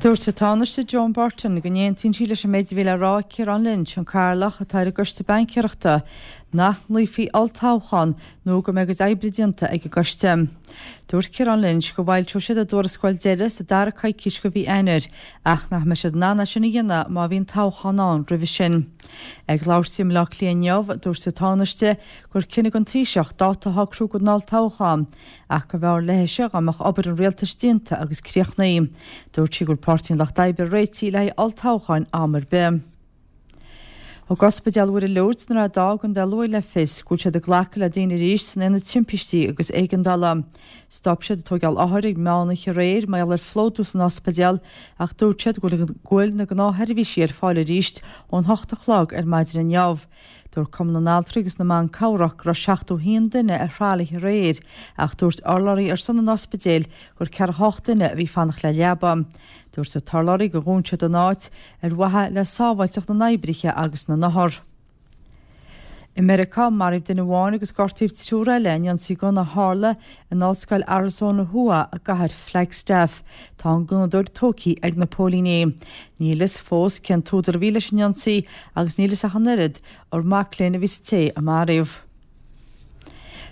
Dúirt an Tánaiste Joan Burton go n-aontaíonn sí leis an méid a bhí le rá ag Ciarán Lynch, an Cathaoirleach atá ar an gCoiste Baincéireachta, nach nglaofaí olltoghchán nó go mbeidh a gcuid oibre déanta ag an gcoiste. Dúirt Ciarán Lynch go bhfoilseoidh siad a dtuarascáil deiridh sa dara coicís de mhí Eanáir ach nach mbeidh siad in ann é sin a dhéanamh má bhíonn toghchán ann roimhe sin. Ag labhairt di i mBaile Átha Cliath inniu, dúirt an Tánaiste gur cinneadh don Taoiseach dáta a shocrú don olltoghchán ach go mb'fhearr léise dá mbeadh obair an rialtais déanta agus críochnaithe. Dúirt sí go bhfuil Páirtí an Lucht Oibre réitithe le haghaidh olltoghcháin am ar bith. Thug Ospidéal Mhuire Lourdes in Ráth Dá i gContae Lú le fios go bhfuil siad ag glacadh le daoine arís san Aonad Timpistí agus Éigeandála. Stop siad ag tóigeáil othar ag meán oíche aréir mar gheall ar phlódú san ospidéal ach dúirt siad go bhfuil na gnáthsheirbhísí ar fáil arís ón hocht a chlog ar maidin inniu. Dúirt Cumann na nAltraí agus na mBan Cabhrach go raibh 71 duine ar thralaithe aréir ach dúirt urlabhraí ar son an ospidéil gur 48 duine a bhí ag fanacht le leaba. Dúirt an t-urlabhraí gur dhún siad an áit ar mhaithe le sábháilteacht na n-oibrithe agus na n-othar. I Meiriceá, maraíodh duine amháin agus gortaíodh triúr eile in ionsaí gunna a tharla in Ollscoil Arizona Thuaidh i gcathair Flagstaff. Tá an gunnadóir tógtha ag na póilíní. Níl fhios fós cén t-údar a bhí leis an ionsaí agus níl fhios ach an oiread ar mac léinn a bhí sa té a maraíodh.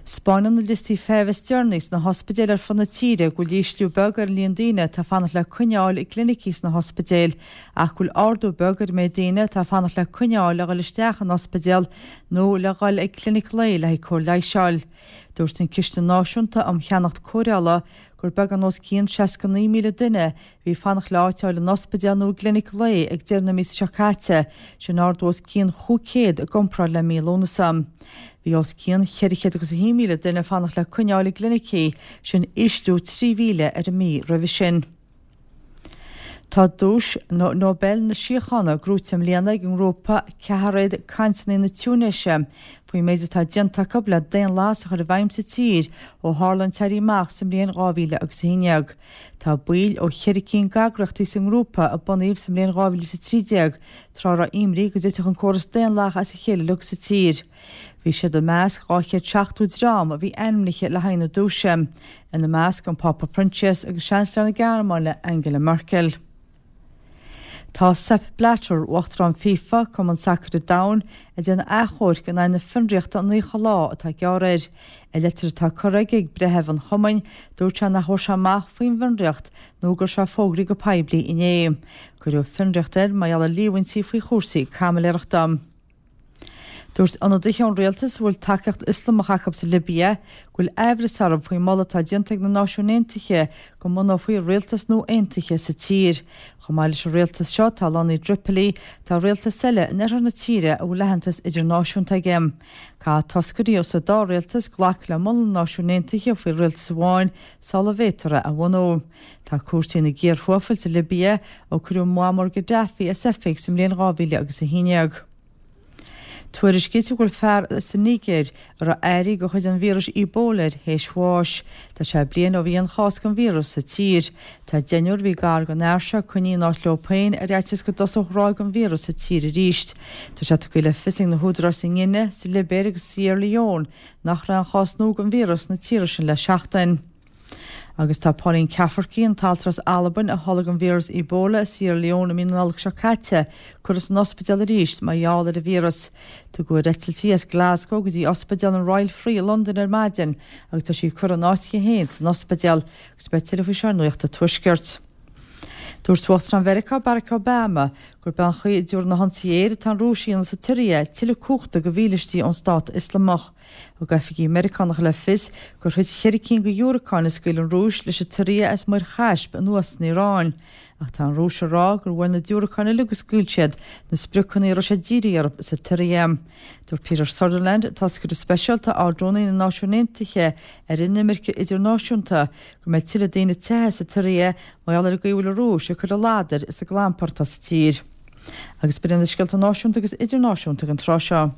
'Spáineann na liostaí feithimh is deireanaí sna hospidéil ar fud na tíre go bhfuil ísliú beag ar an líon daoine atá ag fanacht le coinneáil i gclinicí sna hospidéil ach go bhfuil ardú beag ar an méid daoine atá ag fanacht le coinneáil le dhul isteach in ospidéal nó le dhul ag clinic lae le haghaidh cóir leighis a fháil. Dúirt an Ciste Náisiúnta um Cheannacht Cóireála gur beagán os cionn 69,000 duine a bhí ag fanacht le áit a fháil in ospidéal nó i gclinic lae ag deireadh na míosa seo caite, sin ardú os cionn 500 i gcomparáid le mí Lúnasa. Bhí os cionn 401,000 duine ag fanacht le coinneáil i gclinicí, sin ísliú 3,000 ar an mí roimhe sin. Tá duais Nobel na Síochána gnóite i mbliana ag an ngrúpa Ceathairéad Cainteanna na Túinéise faoin méid atá déanta acu le daonlathas a chur i bhfeidhm sa tír ó tharla an t-éirí amach sa mbliain 2011. Tá baill ó cheithre cinn d'eagraíochtaí sa ngrúpa a bunaíodh sa mbliain 2013 tráth a raibh imní go dtitfeadh an córas daonlathach as a chéile uilig sa tír. Bhí siad i measc 270 dream a bhí ainmnithe le haghaidh na duaise, ina measc an Pápa Proinsias agus Seansailéir na Gearmáine Angela Merkel. Tá Sepp Blatter, Uachtarán FIFA, Cumann Sacair an Domhain, ag déanamh achomhairc in aghaidh na fionraíochta 90 lá atá gearrtha air. I leitir atá curtha aige ag breitheamh an chumainn, dúirt sé nach bhfuair sé amach faoin bhfionraíocht nó go raibh sé fógraithe go poiblí inné. Cuireadh fionraíocht air mar gheall ar líomhaintí faoi chúrsaí caimiléireachta. Dúirt ionadaithe ón rialtas a bhfuil tacaíocht Ioslamach acu sa Libia go bhfuil aimhreas orthu faoin moladh atá déanta ag na Náisiúin Aontaithe go mbunófaí rialtas nua aontaithe sa tír. Chomh maith leis an rialtas seo atá lonnaithe i dTripoli, tá rialtas eile in oirthear na tíre a bhfuil aitheantas idirnáisiúnta aige. Caithfidh toscairí ó sa dá rialtas glacadh le moladh na Náisiún Aontaithe faoi rialtas amháin sula bhféadfar é a bhunú. Tá cúrsaí ina gcíor thuafail sa Libia ó cuireadh Muammar Gaddafi as oifig sa mbliain 2011. Tuairiscítear go bhfuil fear sa Nigéir a raibh airí de chuid an víris Ebola air théis bháis. Tá sé bliain ó bhí aon chás den víreas sa tír. Tá deichniúr a bhí gar don fhear seo coinnithe in áit leo féin ar fhaitíos go dtosódh ráig an víreas sa tír arís. Tá sé tugtha le fios ag na húdaráis sa nGuine, sa Libéir agus sa Siarra Leon nach raibh aon chás nua den víreas sna tíortha sin le seachtain. Agus tá Pauline Cafferkey, an t-altra as Albain a tholg an víreas Ebola i Sierra Leone i mí na Nollag seo caite, curtha san ospidéal arís mar gheall ar an víreas. Tugadh ar eitilt í as Glasgow go dtí ospidéal an Royal Free i Londain ar maidin agus tá sí curtha in áit aici féin san ospidéal agus beidh tuilleadh faoi seo ar Nuacht an Tuaiscirt. Dúirt Uachtarán Mheiriceá Barack Obama gurb é an chaoi a dtabharfaidh na hionsaithe aeir atá an Rúis a dhéanamh sa tSiria tuilleadh cumhachta do mhílístí ón Stát Ioslamach. Thug oifigigh Meiriceánacha le fios gur thit cheithre cinn de dhiúracáin a scaoil an Rúis leis an tSiria as Muir Chaisp anuas san Iaráin. Ach tá an Rúis ag rá gur bhuail na diúracáin uilig a scaoil siad na spriocanna a raibh siad dírithe orthu sa tSiria. Dúirt Peter Sutherland, toscaire speisialta Ard-Rúnaí na Náisiún Aontaithe ar inimirce idirnáisiúnta, go mbeidh tuilleadh daoine ag teitheadh as an tSiria mar gheall ar an gcaoi a bhfuil an Rúis ag cur a ladair is a gclampar atá sa tír. Agus b'in iad na scéalta náisiúnta agus idirnáisiúnta don tráth seo.